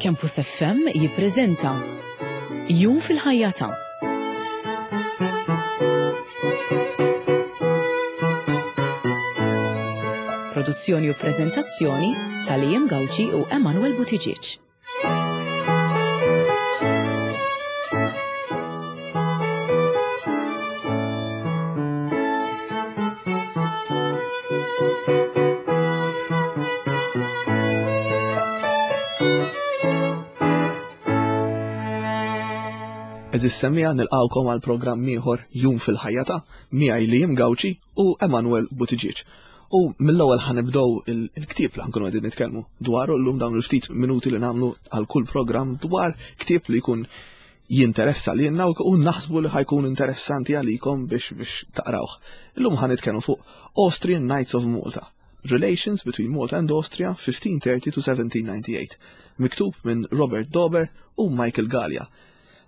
Campus FM jippreżenta Jum fil-ħajja ta' Produzzjoni u preżentazzjoni ta' Liam Gauci u Emanuel Buttigieg. Eżis semija nilqawkom għal programm ieħor Jum fil-ħajja ta' miegħi Liam Gauci u Emanuel Buttigieg. U mill-ewwel ħanibdew il-ktieb li ħankunu qegħdin nitkellmu dwaru llum dawn il-ftit minuti li nagħmlu għal kull programm dwar ktieb li jkun jinteressa lilna u naħsbu li ħajkun interessanti għalikom biex biex taqrawh. Illum ħa nitkellmu fuq Austrian Knights of Malta. Relations between Malta and Austria 1530 to 1798, miktub minn Robert Dober u Michael Galea.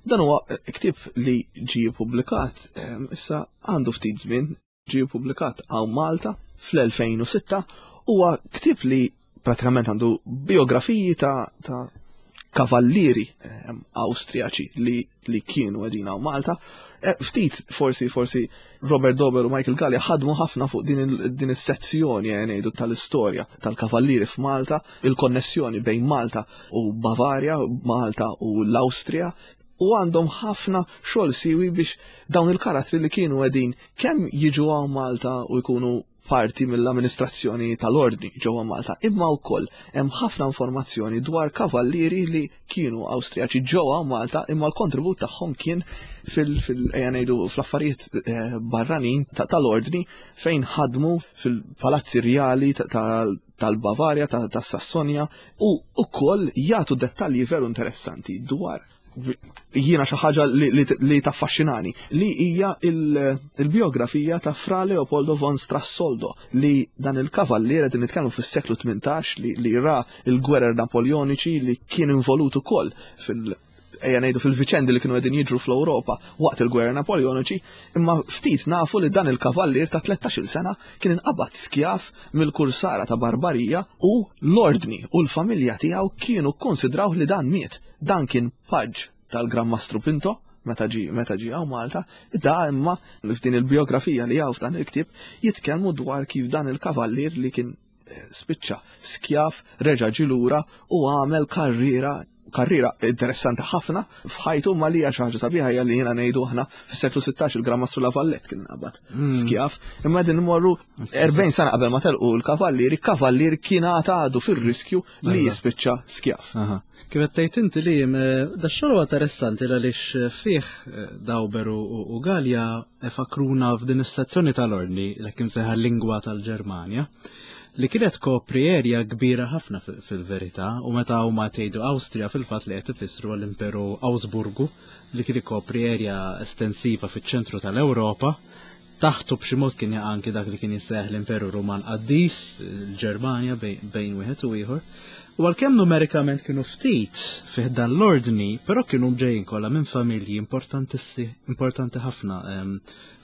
Dan huwa ktieb li ġie ppubblikat eh, issa għandu ftit żmien ġie ppubblikat hawn Malta fl-2006 huwa ktieb li pratikament għandu biografiji ta', ta kavallieri eh, Awstrijaċi li, li kienu għedin hawn Malta. Eh, ftit forsi forsi Robert Dober u Michael Gallia ħadmu ħafna fuq din, din is-sezzjoni eh, ngħidu tal-istorja tal-kavallieri f'Malta, il-konnessjoni bejn Malta u Bavarja, Malta u l-Awstrija, u għandhom ħafna xogħol siwi biex dawn il-karattri li kienu qegħdin kemm jiġu hawn Malta u jkunu parti mill-amministrazzjoni tal-ordni ġewwa Malta, imma wkoll hemm ħafna informazzjoni dwar kavallieri li kienu Awstrijaċi ġewwa Malta imma l-kontribut tagħhom kien fil ejja ngħidu fl-affarijiet eh, barranin tal-ordni fejn ħadmu fil-palazzi rjali tal-Bavarja, tas-Sassonja u wkoll jagħtu dettalji veru interessanti dwar jiena xi ħaġa li taffaxxinani li hija il-biografija ta' Fra Leopoldo von Strassoldo li dan il-kavallier qed nitkellmu fis-seklu 18 li ra l-gwerer Napoleoniċi li kien involut ukoll fil- ejja ngħidu fil-viċendi li kienu qegħdin jiġru fl-Ewropa waqt il-gwerra Napoleoniċi, imma ftit nafu li dan il-kavallier ta' 13-il sena kien inqabad skjav mill-kursara ta' Barbarija u l-ordni u l-familja tiegħu kienu kkonsidraw li dan miet. Dan kien paġġ tal-Gran Mastru Pinto meta ġi meta ġi hawn Malta, da imma f'din il-biografija li hawn f'dan il-ktieb jitkellmu dwar kif dan il-kavallier li kien spiċċa skjav, reġa' ġie lura u għamel karriera karriera interessanti ħafna f'ħajtu ma li hija xi ħaġa sabiħa hija li jiena ngħidu aħna fis-seklu 16 il-Gran Mastru La Vallette kien qabad mm. skjav, imma din imorru 40 sena qabel ma telqu l-kavallieri, kavallier kien għadu fir-riskju li jispiċċa skjav. Kif qed tgħid inti li eh, da xogħol huwa interessanti għaliex eh, fih eh, Dawber u Galja fakruna f'din is-sezzjoni tal-ordni l kien seħa lingwa tal-Ġermanja li kienet kopri erja kbira ħafna fil-verità u meta huma tgħidu Awstrija fil-fatt li qed ifissru għall-Imperu Awsburgu li kien ikopri erja estensiva fiċ-ċentru tal-Ewropa Taħtu b'xi mod kien jaqa' anki dak li kien jissejjaħ l-Imperu Ruman Qaddis, il-Ġermanja bejn wieħed u ieħor. U għalkemm numerikament kienu ftit fih dan l-ordni, però kienu ġejjin kollha minn familji importanti ħafna ehm,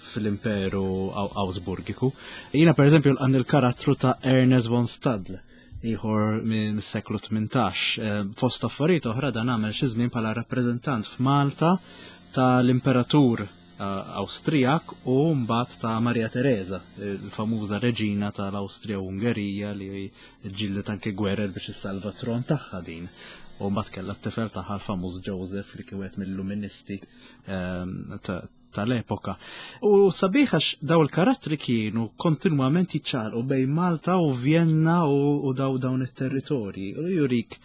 fl-Imperu Awsburgiku. Jiena pereżempju l il-karattru ta' Ernest von Stadl, ieħor minn seklu 18. Ehm, fost affarijiet oħra dan għamel xi żmien bħala rappreżentant f'Malta tal-Imperatur Awstrijak u mbagħad ta' Maria Teresa, il-famuża reġina tal-Awstrija u Ungerija li ġildet anke gwerer biex issalva tron tagħha din. U mbagħad kellha t-tifel tagħha l-famuż Joseph li kien wieħed mill-luministi ehm, tal-epoka. U sabiħ għax daw il-karattri kienu kontinwament jiċċaqlqu bejn Malta u Vienna u daw dawn it-territorji. U jurik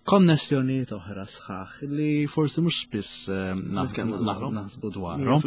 konnessjonijiet oħra sħaħ li forsi mhux spiss eh, naħsbu dwarhom.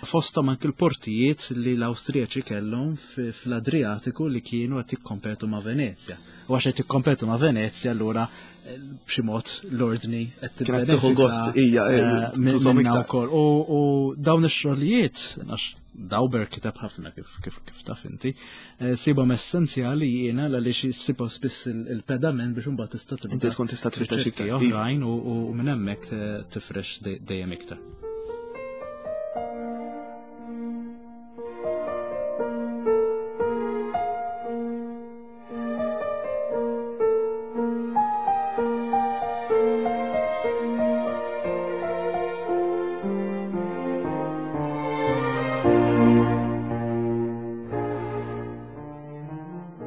Fosthom anke l-portijiet li l-Awstrijaċi kellhom fl-Adriatiku li kienu qed jikkompetu ma' Venezja. U għax qed jikkompetu ma' Venezja allura eh, b'xi mod l-ordni qed tieħu gost hija eh, minna wkoll. U dawn ix-xogħlijiet għax Dauber kiteb ħafna kif kif kif taf inti, eh, sibhom essenzjali jiena għaliex sibhom spiss il-pedament biex imbagħad tista' tibda. Inti tkun tista' tfittex iktar oħrajn u minn hemmhekk eh, tifrex dejjem iktar.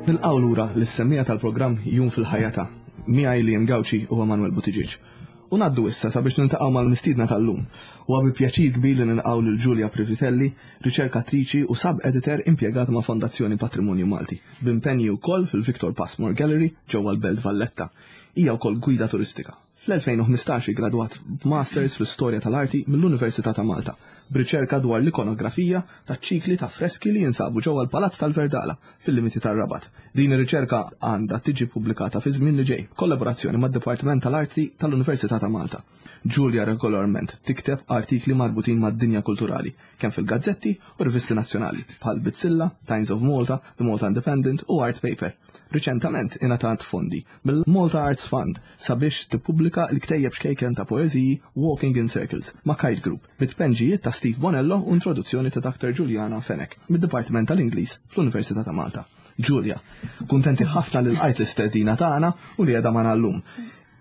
Nilqgħu lura lis-semmiegħa tal-programm Jum fil-Ħajja ta' miegħi Liam Gauci u Emanuel Buttigieg. U ngħaddu issa sabiex niltaqgħu mal-mistiedna tal-lum. Huwa bi pjaċir kbir li nilqgħu lil Giulia Privitelli, riċerkatriċi u sub-editor impjegata ma' Fondazzjoni Patrimonju Malti, b'impenji wkoll fil-Victor Passmore Gallery ġewwa l-Belt Valletta. Hija wkoll gwida turistika. Fl-2015 iggradwat b'Masters fl-Istorja tal-Arti mill-Università ta' Malta, b'riċerka dwar l-ikonografija taċ-ċikli ta' freski li jinsabu ġewwa l-Palazz tal-Verdala, fil-limiti tar-Rabat. Din ir-riċerka għandha tiġi ppubblikata fiż-żmien li ġej, b'kollaborazzjoni mad-Dipartiment tal-Arti tal-Università ta' Malta. Julia regolarment tikteb artikli marbutin mad-dinja kulturali, kemm fil-gazzetti u rivisti nazzjonali, bħal Bizzilla, Times of Malta, The Malta Independent u Art Paper. Riċentament ingħatat fondi mill-Malta Arts Fund sabiex tippubblika l-ktejjeb xkejken ta' poeżiji Walking in Circles ma' Kite Group, bi tpenġijiet ta' Steve Bonello u introduzzjoni ta' Dr. Juliana Fenech mid-Dipartiment tal-Ingliż fl-Università ta' Malta. Julia, kuntenti ħafna li lqajt l-istedina tagħna u li qiegħda magħna llum.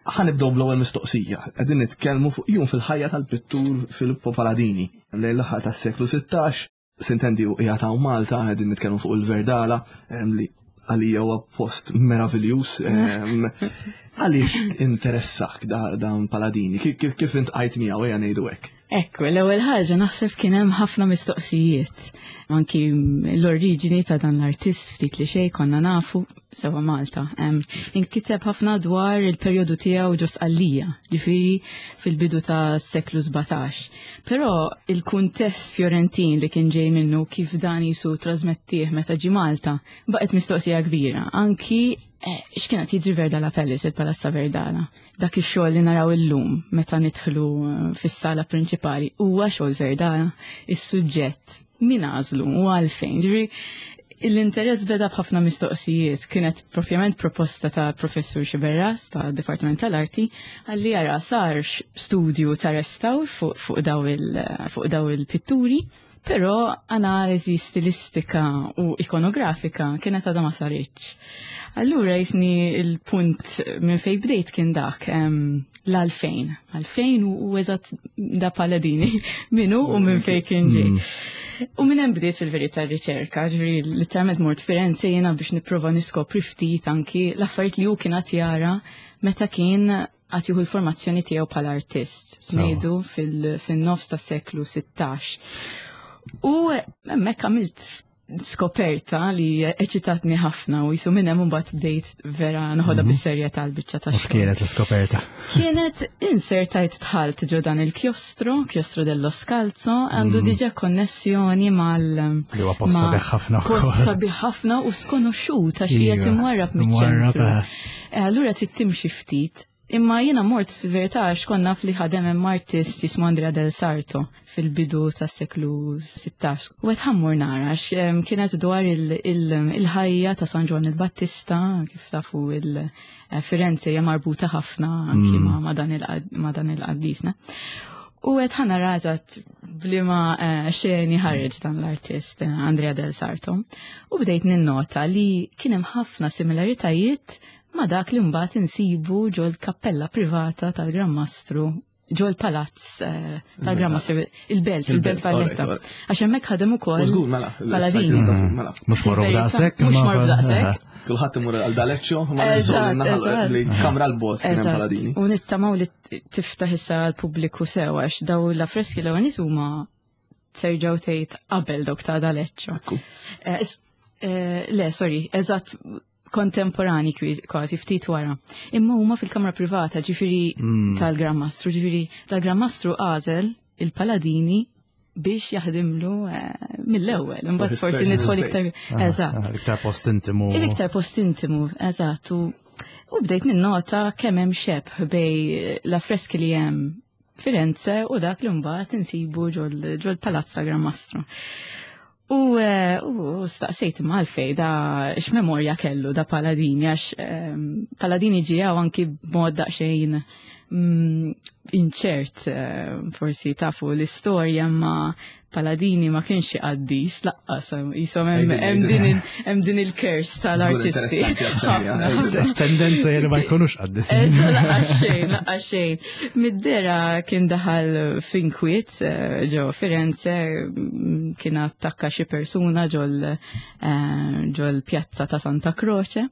Ħa nibdew bl-ewwel mistoqsija. Qegħdin nitkellmu fuq jum fil-ħajja tal-pittur Filippo Paladini. Lejn l-aħħar tas-seklu 16, Sintendi u qiegħed hawn Malta, qegħdin nitkellmu fuq il-Verdala, li għalija huwa post meraviljuż. Għaliex interessak dawn Paladini? Kif intqajt miegħu ejja ngħidu hekk? Ekku, l-ewwel ħaġa naħseb kien hemm ħafna mistoqsijiet. Anki l-oriġini ta' dan l-artist ftit li xejn konna nafu sewa Malta. Inkiteb ħafna dwar il-perjodu tiegħu ġo Sqallija, ġifieri fil-bidu ta' seklu 17. Però il-kuntest Fjorentin li kien ġej minnu kif dan jisu trasmettih meta ġi Malta, baqgħet mistoqsija kbira. Anki eh, x'kienet jiġri Verdala Palace, il-Palazza Verdala. Dak ix-xogħol li naraw illum meta nidħlu eh, fis-sala prinċipali huwa xogħol Verdala, is-suġġett min għażlu u għalfejn. Ġifieri l-interess beda b'ħafna mistoqsijiet. Kienet propjament proposta ta' professur Xiberras ta' Dipartiment tal-Arti għalli jara sar studju ta' restawr fuq daw il-pitturi, però analiżi stilistika u ikonografika kienet għadha ma saritx. Allura jisni il-punt minn fej bdejt kien dak l-għalfejn. Għalfejn u eżatt da Paladini minu u minn fej kien ġej. U minn hemm bdiet fil-verità r-riċerka, ġifieri literalment mort Firenze jiena biex nipprova niskopri ftit anki l-affarijiet li hu kien qed jara meta kien qed jieħu l-formazzjoni tiegħu bħala artist, ngħidu fil-nofs tas-seklu 16. U hemmhekk għamilt skoperta li eċitatni ħafna u jisu minn hemm imbagħad bdejt vera noħodha mhm. bis-serjetà l-biċċa ta' X'kienet l-iskoperta? Kienet insertajt dħalt ġo dan il-kjostro, kjostro dello Scalzo, għandu mhm. diġà konnessjoni mal Li huwa post sabiħ ħafna. Post sabiħ ħafna u skonoxxut għax qiegħed imwarrab miċ-ċentru. Eh. Eh, allura trid timxi ftit. Imma jiena mort fil-verità għax kont naf li ħadem hemm artist jismu Andrea del Sarto fil-bidu tas-seklu 16. U qed ħammur nara għax kienet dwar il-ħajja ta' San Ġwann il-Battista, kif tafu il-Firenze hija marbuta ħafna anki mm. ma' dan il-qaddisna. U qed ħana rażat bliema eh, xeni ħareġ dan l-artist eh, Andrea del Sarto. U bdejt ninnota li kien hemm ħafna similaritajiet ma' dak li mbagħad insibu ġol-kappella privata tal-Gran Mastru ġol-palazz eh, tal-Gran Mastru, il-belt, il-belt Valletta. Għax hemmhekk ħadem ukoll. Żgur, mela. Paladini. Mela. Mhux marru daqshekk. Mhux marru daqshekk. Kulħadd imur għal D'Aleccio, ma li kamra l-bot kien hemm Paladini. U nittamaw li tiftaħ issa għall-pubbliku sew għax daw l-affreski l-ewwel huma terġgħu tgħid qabel dawk ta' D'Aleccio. Eh, eh, le, sorry, eżatt kontemporani kważi ftit wara. Imma huma fil-kamra privata, ġifieri mm. tal-Gran Mastru, ġifieri tal-Gran Mastru għażel il-Paladini biex jaħdimlu eh, mill-ewwel, imbagħad forsi nidħol iktar ah, eżatt. Ah, iktar post intimu. Il-iktar post intimu, eżatt. U bdejt ninnota kemm hemm xebh bej l-affreski li hemm Firenze u dak li mbagħad insibu ġol-Palazz ta' Gran Mastru. U, eh, u staqsejt imma għalfej da x'memorja kellu da Paladini għax ehm, Paladini ġie anki b'mod daqsxejn mm, inċert eh, forsi tafu l-istorja ma Paladini ma kienx xi qaddis laqqas jisom hemm din il-kers tal-artisti. Tendenza li ma jkunux qaddis. Laqqas xejn, laqqas xejn. Mid-dera kien daħal f'inkwiet eh, ġo Firenze, mm, kien attakka xi persuna ġol eh, ġol pjazza ta' Santa Croce.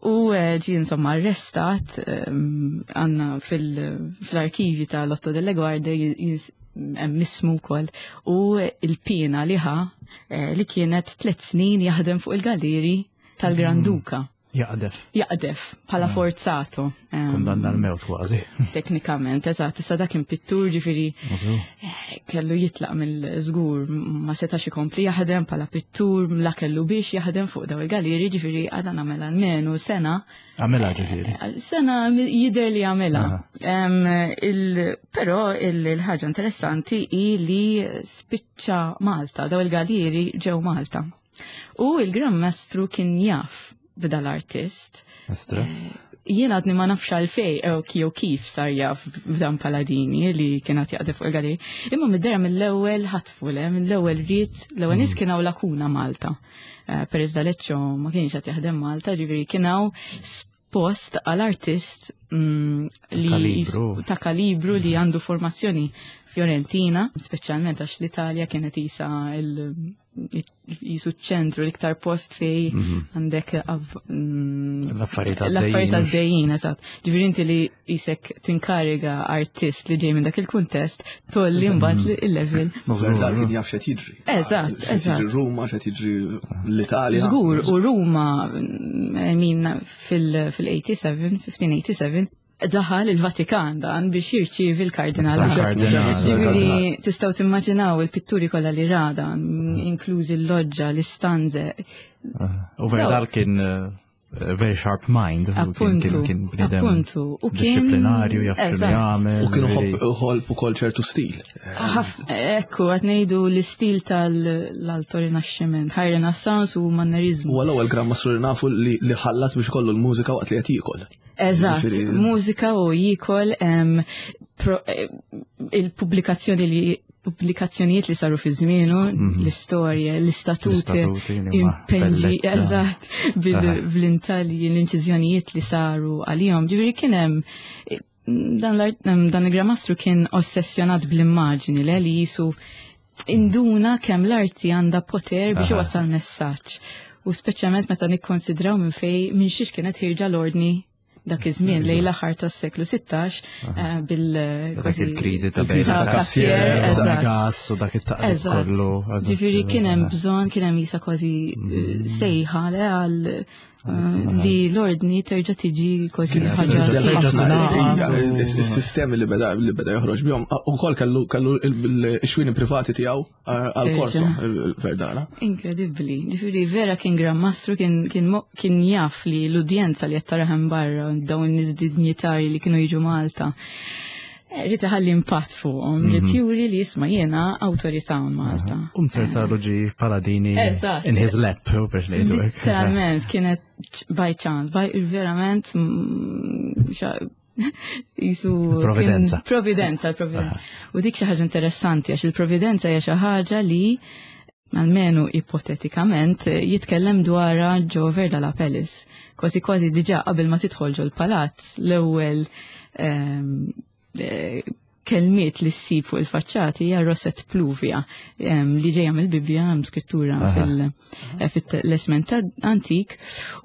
U eh, ġi insomma arrestat għanna fil-arkivi ta' Lotto delle Guardie hemm ismu wkoll u il-pina li ħa eh, li kienet tliet snin jaħdem fuq il-galleri tal-Gran mm. Duka. Jaqdef. Jaqdef, bħala mm. forzato. Kundanna l-mewt kważi. Teknikament, eżatt, issa dak kien pittur ġifieri eh, kellu jitlaq mill-żgur ma setax ikompli jaħdem bħala pittur, la kellu biex jaħdem fuq daw il-galeri, ġifieri għadha nagħmel almenu sena Għamela ġifiri. Eh, sena jider li għamela. Pero il-ħaġa interessanti hi li spiċċa Malta, daw il-galieri ġew Malta. U il-Gran Mastru kien jaf b'dal-artist. Mestra. Eh, jien għadni ma nafx għalfej eh, jew kif sar jaf b'dan Paladini li kien għad jaqdef fuq il-galeri. Imma mid-dera mill-ewwel ħatfu le, mill-ewwel ried, l-ewwel nies mm. kien hawn lakuna Malta. Eh, Perez D'Aleccio ma kienx qed jaħdem Malta, ġifieri kien hawn post għal artist mm, li ta' kalibru li għandu formazzjoni Fiorentina, speċjalment għax l-Italja kienet isa jisu ċentru l-iktar post fej mhm. għandek mm, l-affarijiet għaddejjin, eżatt. Ġifieri inti li jisek tinkariga artist li ġej minn dak il-kuntest, tolli mbagħad mhm. il-level. Dak kien jaf x'qed jiġri. Eżatt, eżatt. Jiġri Ruma, x'qed jiġri l-Italja. Żgur, u Ruma, I mean, fil-87, 1587, daħal il-Vatikan dan biex jirċievi l-kardinal. Ġifieri tistgħu timmaġinaw il-pitturi kollha li rada, inklużi l-loġġa, l-istanze. U Verdal kien eh, very sharp mind. Appuntu. Kien bnidem appuntu. U kien disciplinarju, jaf x'inhu jagħmel. U kienu ħolb ukoll ċertu stil. Ekku, qed ngħidu l-istil tal-Alto Rinaxximent, High Renaissance u Mannerizmu. U l-ewwel Gran Mastru li nafu li ħallas biex kollu l-mużika waqt li qed jiekol. Eżatt, mużika u jiekol eh, il-pubblikazzjoni li pubblikazzjonijiet li saru fi żmienu, mhm. l-istorja, l-istatuti, impenġi, eżatt, bl-intalji, l-inċiżjonijiet li saru għalihom. Ġifieri kien hemm dan, dan il-gramastru kien ossessjonat bl-immaġini le li jisu induna kemm l-arti għandha poter biex iwassal messaġġ. U speċjalment meta nikkonsidraw minn fej minn xiex kienet ħirġa l-ordni dak iż-żmien lejn l-aħħar tas-seklu 16 eh, bil dak il-kriżi ta' bejn ta' gas u dak it-taqlib kollu. Ġifieri kien hemm bżonn kien hemm jisa kważi eh, mm. sejħa le għal eh, li l-ordni terġa' tiġi kważi ħaġa. Is-sistemi li beda li beda joħroġ bihom ukoll kellu kellu l-xwini privati tiegħu Għal-korso, il-verdana. Inkredibbli. Ġifieri vera kien Gran Mastru kien jaf li l-udjenza li qed taraħem barra dawn nies dinjitari li kienu jiġu Malta. Eh, rrid iħalli impatt fuqhom, rrid mhm. juri li jisma' jiena awtorità Malta. Um ċerta ġi Paladini in his lap, u biex ngħidu hekk. Literalment kienet by chance, by verament mm, jisu providenza. Providenza, providenza. U dik xi ħaġa interessanti għax il-providenza hija xi ħaġa li almenu ipotetikament jitkellem dwarha ġo Verda la Pellis. Kważi kważi diġà qabel ma tidħol ġol palazz l-ewwel ehm, eh, kelmiet li ssib fuq il-faċċati hija Rosette Pluvia li ġejja mill-Bibbja hemm skrittura eh, fil-Lesment antik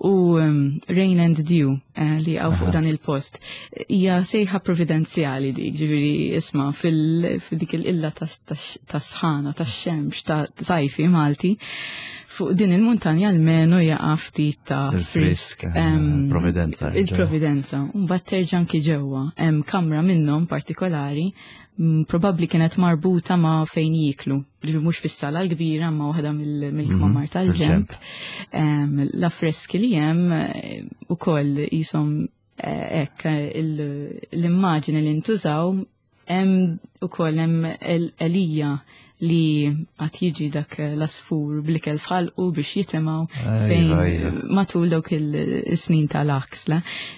u Rain and Dew eh, li għaw fuq dan il-post. Hija sejħa providenzjali dik, ġifieri isma' fil-dik il-illa ta' sħana, ta' xemx, ta' sajfi Malti fuq din il-muntanja almenu jaqa' ftit ta' frisk. Providenza. Il-providenza. Mbagħad terġa' anki ġewwa. Hemm kamra minnhom partikolari mm, probabbli kienet marbuta ma' fejn jiklu. Li mhux fis-sala l-kbira ma' waħda mill-kmamar mhm, tal-ġemp. L-affreski li hemm eh, ukoll jisom eh, hekk l-immaġini li ntużaw Hemm ukoll hemm Elija li għat jiġi dak l-asfur blikel fħalqu biex jitimaw fejn matul dawk il-snin tal-aks.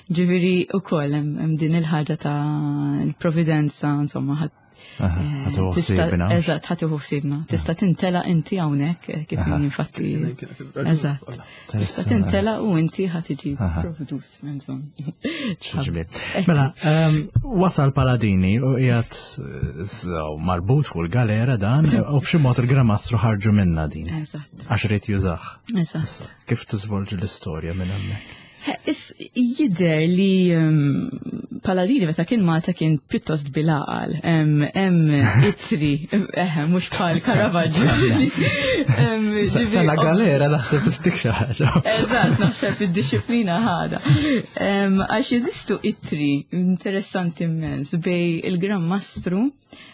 Ġifieri ukoll hemm din il-ħaġa ta' l-providenza, insomma, Eżatt, ħa tieħu ħsiebna. Tista' tintela inti hawnhekk eh, kif infatti. Eżatt. Tista' tintela u inti ħa tiġi provdut m'hemm bżonn. Mela, ehm, wasal Paladini u qiegħed eh, marbut fuq il-galera dan u b'xi mod il-Gran Mastru ħarġu minna din. Eżatt. Għax irid jużah. Eżatt. Kif tiżvolġi l-istorja minn hemmhekk? Is jidher li ehm, Paladini meta kien Malta kien pjuttost bilaqal. Hemm ittri, eh, mhux bħal Caravaggio. Sena galera naħseb dik xi ħaġa. Eżatt, naħseb id-disciplina ħada. Għax jeżistu ittri interessanti immens bej il-Gran Mastru,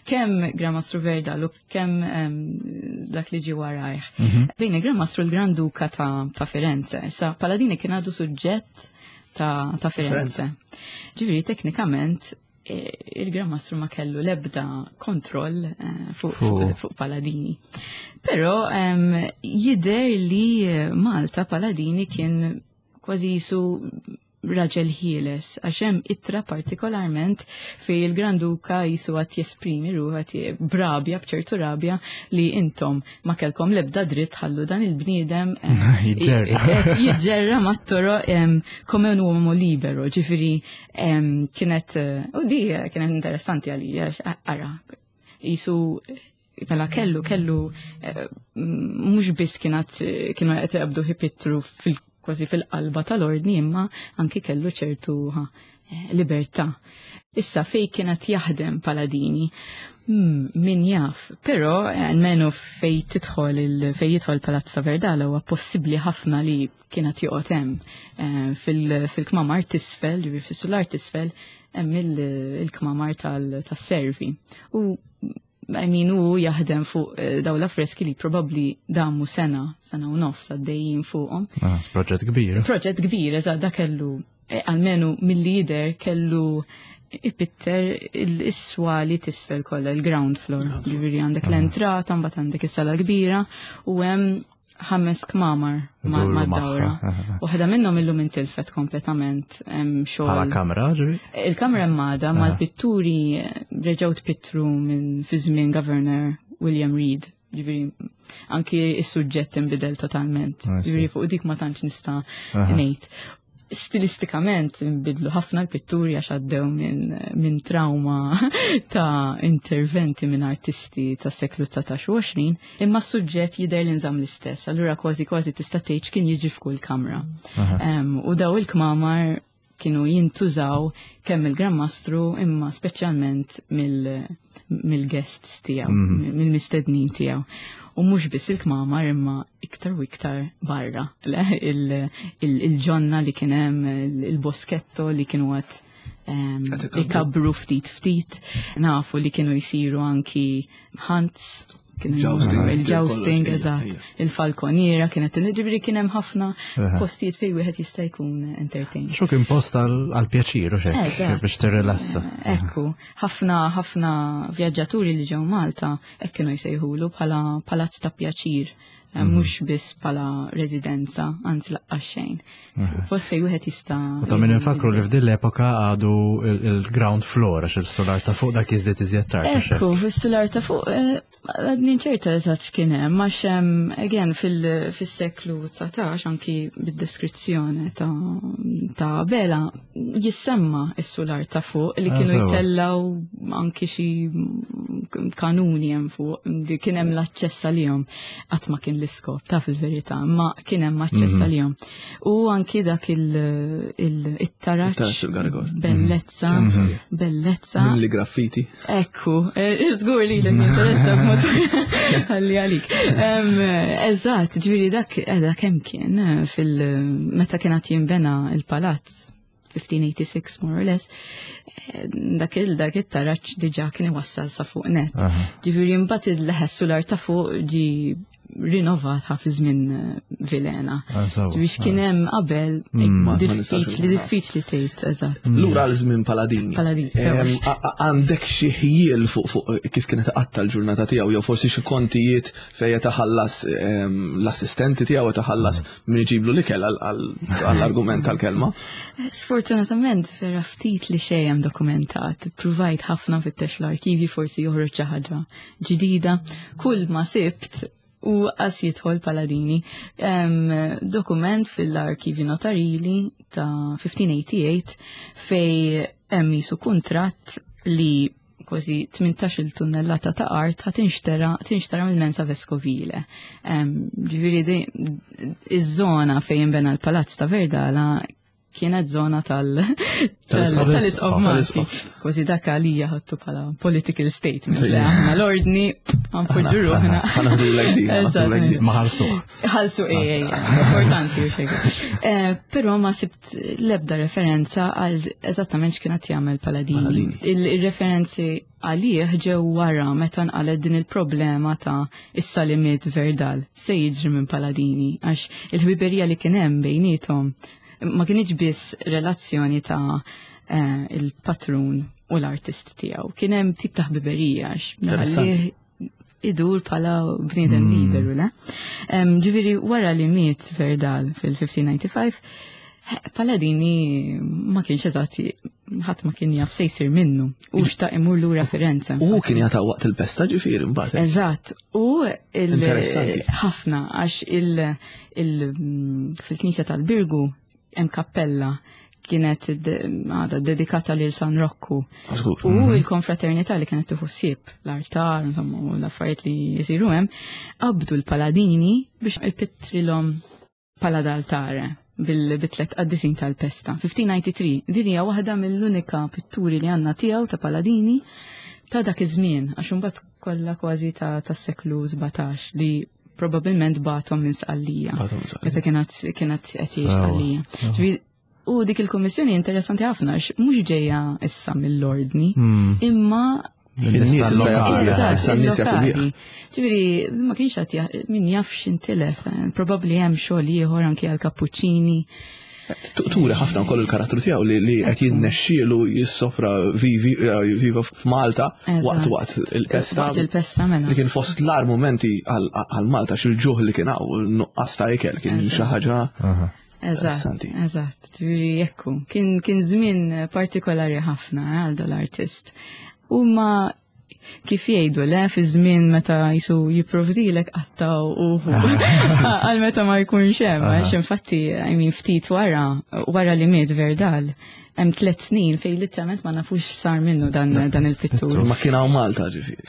kemm Gran Mastru Verdal u kemm dak li ġi warajh. Mhm. Bejn il-Gran Mastru l-Gran Duka ta', ta Firenze. Issa Paladini kien għadu suġġett ta', ta Firenze. Ġifieri teknikament e, il-Gran Mastru ma kellu lebda kontroll e, fuq fu Paladini. Però jidher li Malta Paladini kien kważi jisu raġel ħieles, għax hemm ittra partikolarment fej il-Granduka jisu għat jesprimi ruħu għat brabja, bċertu rabja li intom ma kellkom lebda dritt ħallu dan il-bniedem eh, jiġġerra mat-toro come un uomo libero, ġifiri kienet, eh, u di kienet interessanti għalija, ara, jisu mela kellu kellu eh, mhux biss kienet kienu qed jaqbdu ħipittru fil kważi fil-qalba tal-ordni imma anki kellu ċertu eh, libertà. Issa fej kienet jaħdem Paladini, hmm, min jaf, però eh, almenu fej tidħol fej jidħol Palazzo Verdala huwa possibbli ħafna li kienet joqgħod hemm fil-kmamar tisfel, fis-sular tisfel, hemm il-kmamar tas-servi. U I mean, u jaħdem fuq eh, daw l-affreski li probabli damu sena, sena u nofs għaddejjin fuqhom. Ah, proġett kbir. Proġett kbir, eżatt, da kellu, eh, almenu mill-lider kellu ipitter il-iswali tisfel kollha, il-ground floor. Ġifieri għandek ah. l-entrata, mbagħad għandek is-sala kbira u hemm ħames kmamar mad-dawra. Waħda minnhom illum intilfet kompletament hemm xogħol. Bħala kamra ġifi? Il-kamra hemm għadha mal-pitturi reġgħu tpittru minn fi żmien Governor William Reed. Ġifieri anki is-suġġett inbidel totalment. Ġifieri fuq dik ma tantx nista' ngħid stilistikament nbidlu ħafna l-pitturi għax għaddew minn min trauma ta' interventi minn artisti ta' seklu 19 u 20, imma s-suġġett jidher li nżamm l-istess, allura kważi kważi tista' tgħid kien jiġi f'kull kamra. Um, u daw il-kmamar kienu jintużaw kemm il-Gran Mastru imma speċjalment mill-guests tiegħu, mhm. mill-mistednin tiegħu. U mhux biss il-kmamar imma iktar u iktar barra. Il-ġonna li kien hemm, il-bosketto li kienu għat ehm, ikabru ftit ftit, nafu li kienu jisiru anki hunts il-jousting, eżatt, il-falkoniera kienet ġifieri kien hemm ħafna postijiet fejn wieħed jista' jkun entertained. Xu kien post għal-pjaċir u xek biex tirrilassa. Ekku, ħafna ħafna vjaġġaturi li ġew Malta hekk kienu jsejħulu bħala palazz ta' pjaċir. Eh, mhm. mhux biss bħala residenza, anzi laqqas xejn. Mhm. Post fejn wieħed jista' U ta' min infakru li f'din l-epoka għadu il-ground floor għax il-solar ta' fuq dak jiżdied iżjed tard. Ekku, fis-solar ta' fuq eh, għadni ċerta eżatt x'kien hemm, għax again fis-seklu 19 anki bid-deskrizzjoni ta' Bela jissemma s-sular ta' fuq li ah, kienu jtellaw anki xi kanuni hemm fuq li kien hemm l-aċċess għalihom qatt ma kien l-iskop ta' fil-verità, ma kien hemm aċċess mhm. għalihom. U anki dak il-taraġ bellezza, mhm. bellezza. Li graffiti. Ekku, eh, żgur li l-interessa b'mod għalli għalik. Eżatt, ġifieri dak eh, kemm kien eh, fil-meta kien qed jinbena il-palazz 1586 more or less, eh, dak il dak it-taraġ diġà kien iwassal sa fuq net. Ġifieri mbagħad il-leħes sular ta' fuq ġi rinnovat ħafna żmien Vilena. Ah, Biex kien ah. hemm qabel mm. diffiċli diffiċli tgħid eżatt. Mm. Lura għal żmien Paladini. Paladini. Għandek xi ħjiel fuq kif kienet qatta l-ġurnata tiegħu jew forsi xi kontijiet fejn taħallas l-assistenti tiegħu taħallas mm. min iġiblu l-ikel għall-argument tal-kelma. Sfortunatament vera ftit li xejn hemm dokumentat. Provajt ħafna fittex l-arkivi forsi joħroġ xi ħaġa ġdida. Kull ma sibt u qas jidħol Paladini. Dokument fil-arkivi notarili ta' 1588 fej hemm jisu kuntratt li kważi 18 tunnellata ta' art ħa tinxtara tinxtara mill-Mensa Vescovile. Ġifieri iż-żona fejn inbena l-Palazz ta' Verdala kienet zona tal-isqof Malti. Kważi dak għalija ħattu bħala political statement. Aħna l-ordni għanpoġġu ruħna. Ma ħalsu. Ħalsu ej, importanti. Eh, però ma sibt l-ebda referenza għal eżattament x'kienet jagħmel Paladini. Il-referenzi għalih ġew wara meta nqalet din il-problema ta' issa li miet Verdal se jiġri minn Paladini għax il-ħbiberija li kien hemm bejniethom ma kienx biss relazzjoni ta' eh, il-patrun u l-artist tiegħu. Kien hemm tip ta' ħbiberija għax idur bħala bniedem hmm. liberu, le? Ġifieri wara li miet Verdal fil-1595, Paladini ma kienx eżatt ħadd ma kien jaf se jsir minnu u xtaq imur lura Firenze. U kien jata waqt il-pesta ġifieri mbagħad. Eżatt, u ħafna għax fil-knisja tal-Birgu hemm kappella kienet għada dedikata lil San Rokku. U mhm. il-konfraternità li kienet tieħu ssieb l-artar u l-affarijiet li jisiru hemm, qabdu l-paladini biex ipittrilhom pala d'altare bil-tlet qaddisin tal-pesta. 1593, din hija waħda mill-unika pitturi li għandna tiegħu ta' Paladini ta' dak iż-żmien, għax imbagħad kollha kważi ta' tas-seklu 17 li probabbilment batom minn Sqallija. Meta kienet kienet qed jgħix Sqallija. U dik il-kummissjoni interessanti ħafna għax mhux ġejja issa mill-ordni, hmm. imma Ġifieri, ma kienx qed min jaf x'intilef, eh, probabbli hemm xogħol ieħor anki għal kappuċċini. Turi ħafna wkoll il-karattru tiegħu li qed jinnexxielu jissofra eh, viva f'Malta waqt waqt il-pesta. Waqt il-pesta mela. Li kien fost l-ar momenti għal Malta xil-ġuħ li kien hawn nuqqas ta' ikel kien xi ħaġa. Eżatt, eżatt, ġifieri jekku. Kien kien żmien partikolari ħafna eh, għal dal-artist. U ma kif jgħidu le fi żmien meta jisu jipprovdilek qattaw u għal meta ma jkunx hemm għax infatti I mean ftit wara wara li miet Verdal hemm tliet snin fejn literalment ma nafux sar minnu dan dan il-pittur. Ma kien hawn Malta ġifieri.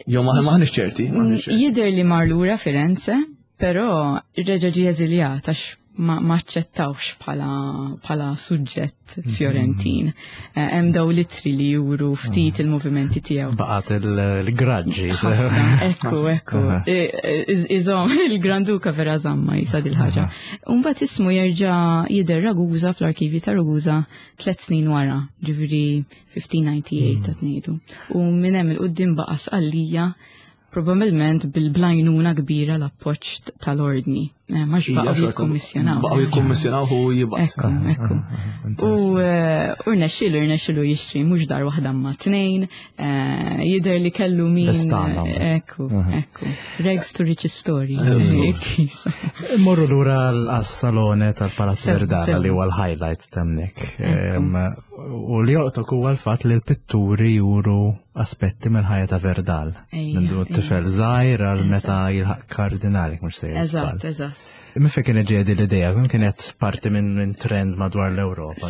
Jew ma maħniex ċerti. Jidher li mar lura Firenze, Però reġa' ġie eżiljat għax ma aċċettawx bħala bħala suġġett mhm. Fiorentin. Eh, hemm daw litri li juru ftit mhm. il-movimenti tiegħu. Baqgħet il-graġġi. Ekku, ekku. Iżom, il-Granduka vera żamma jisa dil-ħaġa. Mbagħad ismu jerġa' jidher Ragusa fl-arkivi ta' Ragusa tliet snin wara, ġifieri 1598 qed mhm. ngħidu. U minn hemm il-qudiem baqa' Sqallija Probabilment bil-blajnuna kbira l-appoġġ tal-ordni. Eh, ma baqgħu jikkommissjonaw. Baqgħu jikkommissjonaw u jibgħat. Ekku, ekku. U eh, rnexxilu rnexxilu jixtri mhux dar waħda ma tnejn, eh, jidher li kellu min. Ekku, ekku. Rags to riches story. Morru lura għas-salone tal-Palazzo Verdala li huwa l-highlight temnek. U li joqtok huwa l-fatt li l-pitturi juru aspetti mill-ħajja ta' Verdal. Minn du tifel żgħir għal meta jilħaq kardinali mhux se Eżatt, eżatt. Imma fejn kienet ġejja din l-idea, kien kienet parti minn trend madwar l-Ewropa.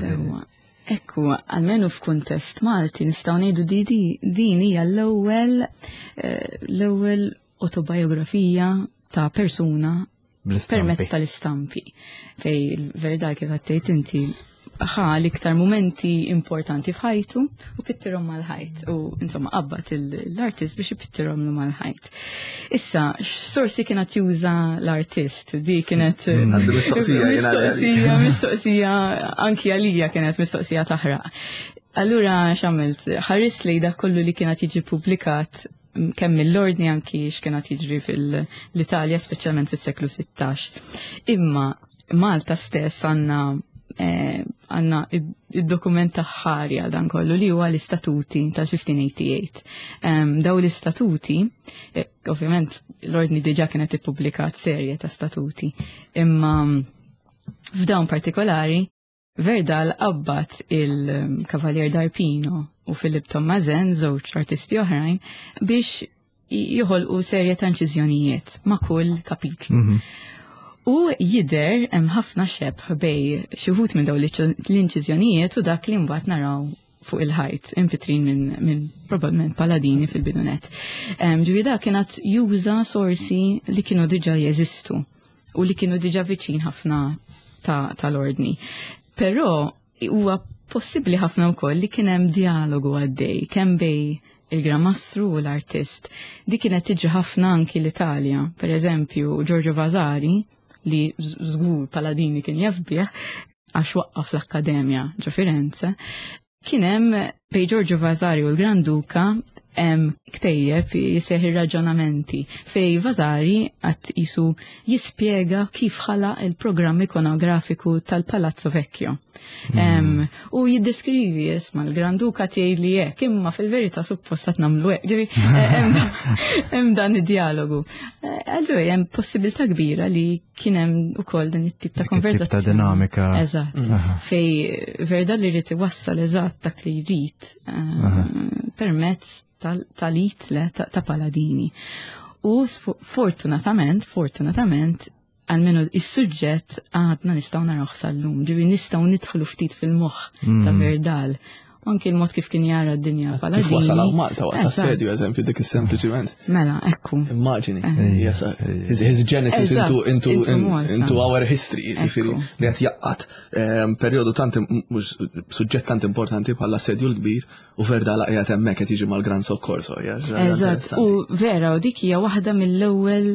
Ekku, għalmenu f'kuntest Malti nistgħu ngħidu di din hija l-ewwel eh, l-ewwel autobiografija ta' persuna permezz tal-istampi. Fej Verdal kif għattejt inti ħa l-iktar momenti importanti f'ħajtu u pittirhom mal-ħajt u insomma qabbat l-artist biex ipittirhom mal-ħajt. Issa, x'sorsi kienet juża l-artist? Di kienet mm. mistoqsija, mistoqsija anki għalija kienet mistoqsija taħraq. Allura x'għamilt? Ħares li dak kollu li kienet jiġi publikat kemm mill-ordni anki x'kienet jiġri fil-Italja, speċjalment fis-seklu 16. Imma Malta stess għandna eh, għanna id-dokument ħari għal dan kollu li huwa l-istatuti tal-1588. Daw l-istatuti, eh, ovvjament l-ordni diġa kienet ippubblikat serje ta' statuti, imma f'dawn partikolari Verdal qabbat il-Kavalier D'Arpino u Filip Tommazen, żewġ artisti oħrajn, biex joħolqu serje ta' inċiżjonijiet ma' kull kapitlu. Mm -hmm. U jider hemm ħafna xebh bej xi wħud minn dawn l-inċiżjonijiet u dak li mbagħad naraw fuq il-ħajt impitrin minn min probabbilment paladini fil-bidunet. Ġifieri dak kienet juża sorsi li kienu diġà jeżistu u li kienu diġà viċin ħafna tal-ordni. Ta Però huwa possibbli ħafna wkoll li kien hemm dialogu għaddej kemm bej il-Gran Mastru u l-artist. Di kienet tiġi ħafna anki l-Italja. Per eżempju, Giorgio Vasari, li żgur Paladini kien jaf bih, għax waqqaf l-Akkademja ġo Firenze, kien hemm bej Giorgio Vasari u l-Gran Duka hemm ktejjeb jisejjaħ ir-raġonamenti fej Vasari qatt jisu jispjega kif ħalaq il-programm ikonografiku tal-Palazzo Vecchio. Mm. U jiddeskrivi isma l-Gran Duka tgħid li hekk, imma fil-verità suppost qed nagħmlu hekk. Eh, hemm dan id-dialogu. Eh, allura hemm possibilità kbira li kien hemm ukoll din it-tip ta' konverzazzjoni. Ta' dinamika. Eżatt. Mm. Fej verda li jrid iwassal eżatt dak li jrid eh, permezz tal-it ta' Paladini. U fortunatament, fortunatament, għalmenu is-suġġett għadna nistgħu narawh sal-lum, ġifieri nistgħu nidħlu ftit fil-moħħ ta' mm. Verdal. Anki l-mod kif kien jara d-dinja bħala. Kif wasal hawn Malta waqt assedju eżempju dik is-sempliċiment. Mela, ekku. Immaġini. Eh. His, his genesis into, into, into our history, ġifieri li qed jaqqat ehm, perjodu tant suġġett tant importanti bħala assedju l-kbir u Verdala qiegħed hemmhekk qed jiġi mal-Gran Soccorso. Eżatt, u vera, u dik hija waħda mill-ewwel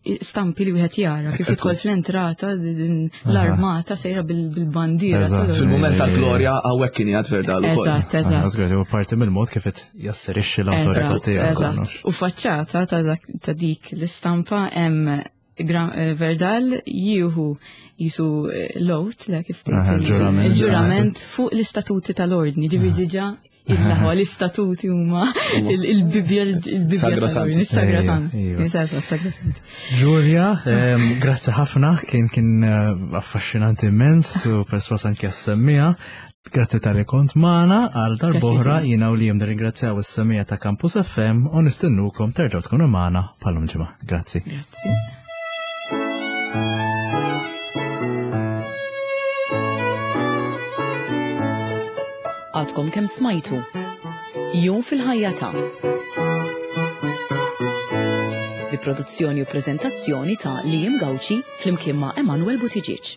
stampi li wieħed jara kif jidħol fl-entrata l-armata sejra bil-bandiera. Fil-mument tal-glorja hawnhekk kien jgħid Verdal ukoll. Eżatt, eżatt. Huwa parti mill-mod kif qed jasserixxi l-awtorità tiegħu. U faċċata ta' dik l-istampa hemm eh, Verdal jieħu jisu eh, l-oath, la kif tgħid il-ġurament fuq l-istatuti tal-ordni, ġifieri diġà Il-laħwa l-istatuti huma il-Bibja il-Bibja sagrasanti. Giulia, grazzi ħafna, kien kien eh, affaxxinanti immens u perswas anke semmija. Grazzi tal-li kont magħna għal darbohra jiena u li jem nirringrazzjaw is-semija ta' Campus FM u nistennukom terġgħu tkunu magħna bħalum ġimgħa. Grazzi. Grazzi. Għadkom kemm smajtu. Jum fil-ħajja ta' bi produzzjoni u preżentazzjoni ta' Liam Gauci flimkien ma' Emanuel Buttigieg.